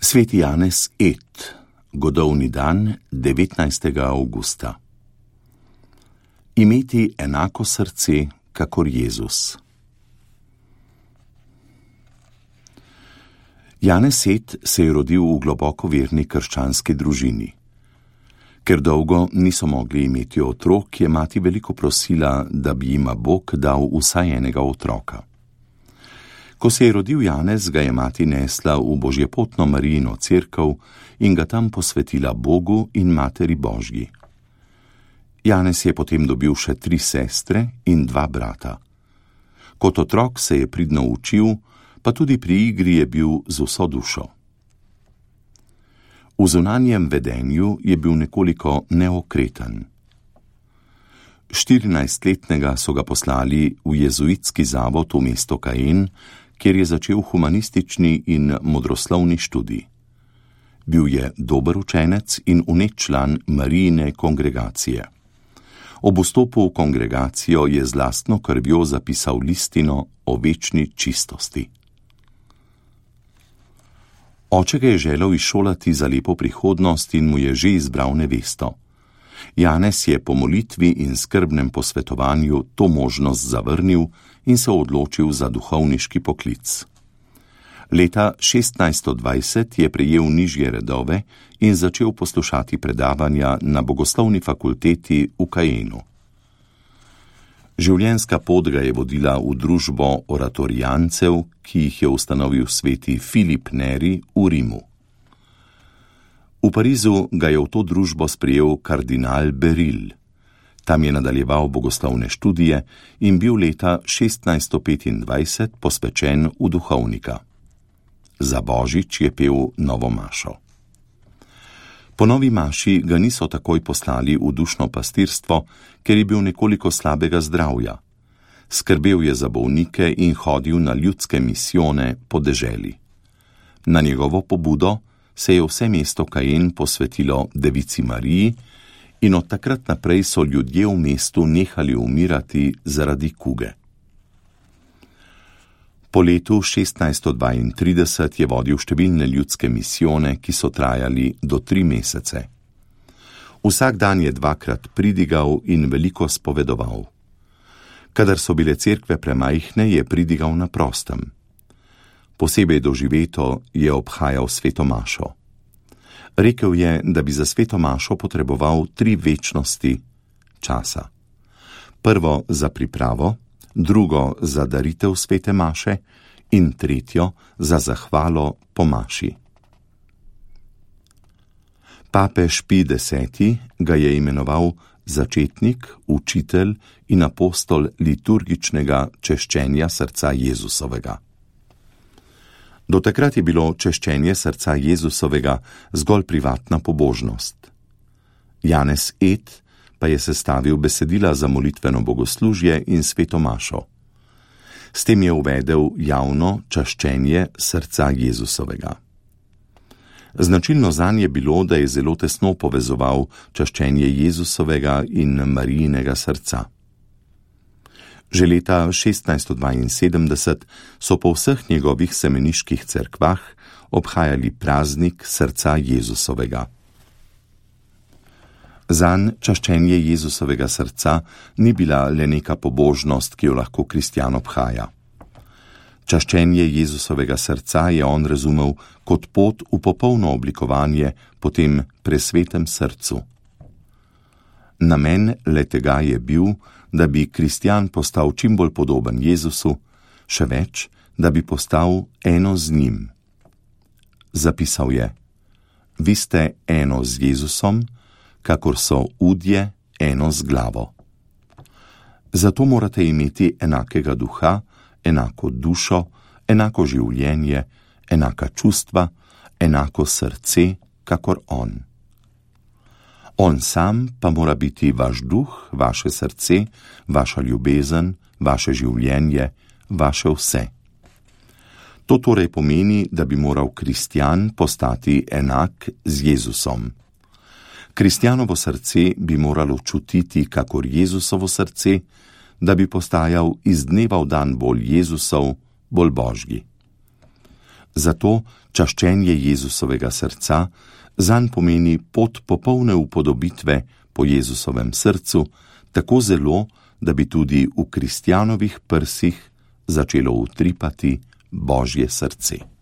Sveti Janez Ed, godovni dan 19. avgusta. Imeti enako srce, kakor Jezus. Janez Ed se je rodil v globoko verni krščanski družini. Ker dolgo niso mogli imeti otrok, je mati veliko prosila, da bi jima Bog dal vsaj enega otroka. Ko se je rodil Janez, ga je mati nesla v Božjepotno Marijino cerkev in ga tam posvetila Bogu in Materi Božji. Janez je potem dobil še 3 sestre in 2 brata. Kot otrok se je pridno učil, pa tudi pri igri je bil z vso dušo. V zunanjem vedenju je bil nekoliko neokreten. 14-letnega so ga poslali v jezuitski zavod v mesto Caen, kjer je začel humanistični in modroslovni študij. Bil je dober učenec in vnet član Marijine kongregacije. Ob vstopu v kongregacijo je z lastno krvjo zapisal listino o večni čistosti. Oče ga je želel izšolati za lepo prihodnost in mu je že izbral nevesto. Janez je po molitvi in skrbnem posvetovanju to možnost zavrnil in se odločil za duhovniški poklic. Leta 1620 je prejel nižje redove in začel poslušati predavanja na bogoslovni fakulteti v Caenu. Življenjska pot ga je vodila v družbo oratorijancev, ki jih je ustanovil sveti Filip Neri v Rimu. V Parizu ga je v to družbo sprejel kardinal Beril. Tam je nadaljeval bogoslovne študije in bil leta 1625 posvečen v duhovnika. Za božič je pel novo mašo. Po novi maši ga niso takoj poslali v dušno pastirstvo, ker je bil nekoliko slabega zdravja. Skrbel je za bolnike in hodil na ljudske misijone po deželi. Na njegovo pobudo se je vse mesto Caen posvetilo Devici Mariji in od takrat naprej so ljudje v mestu nehali umirati zaradi kuge. Po letu 1632 je vodil številne ljudske misijone, ki so trajali do 3 mesece. Vsak dan je 2-krat pridigal in veliko spovedoval. Kadar so bile cerkve premajhne, je pridigal na prostem. Posebej doživeto je obhajal sveto mašo. Rekel je, da bi za sveto mašo potreboval 3 večnosti časa. Prvo za pripravo, drugo za daritev svete maše in tretjo za zahvalo po maši. Papež Pij X ga je imenoval začetnik, učitelj in apostol liturgičnega češčenja srca Jezusovega. Do takrat je bilo češčenje srca Jezusovega zgolj privatna pobožnost. Janez Ed pa je sestavil besedila za molitveno bogoslužje in sveto mašo. S tem je uvedel javno čaščenje srca Jezusovega. Značilno zanj je bilo, da je zelo tesno povezoval čaščenje Jezusovega in Marijinega srca. Že leta 1672 so po vseh njegovih semeniških cerkvah obhajali praznik srca Jezusovega. Zanj čaščenje Jezusovega srca ni bila le neka pobožnost, ki jo lahko kristjan obhaja. Čaščenje Jezusovega srca je on razumel kot pot v popolno oblikovanje po tem presvetem srcu. Namen le-tega je bil, da bi kristjan postal čim bolj podoben Jezusu, še več, da bi postal eno z njim. Zapisal je: Vi ste eno z Jezusom, kakor so udje eno z glavo. Zato morate imeti enakega duha, enako dušo, enako življenje, enaka čustva, enako srce, kakor on. On sam pa mora biti vaš duh, vaše srce, vaša ljubezen, vaše življenje, vaše vse. To torej pomeni, da bi moral kristjan postati enak z Jezusom. Kristjanovo srce bi moralo čutiti kakor Jezusovo srce, da bi postajal iz dneva v dan bolj Jezusov, bolj Božji. Zato čaščenje Jezusovega srca zanj pomeni pot popolne upodobitve po Jezusovem srcu, tako zelo, da bi tudi v kristjanovih prsih začelo utripati Božje srce.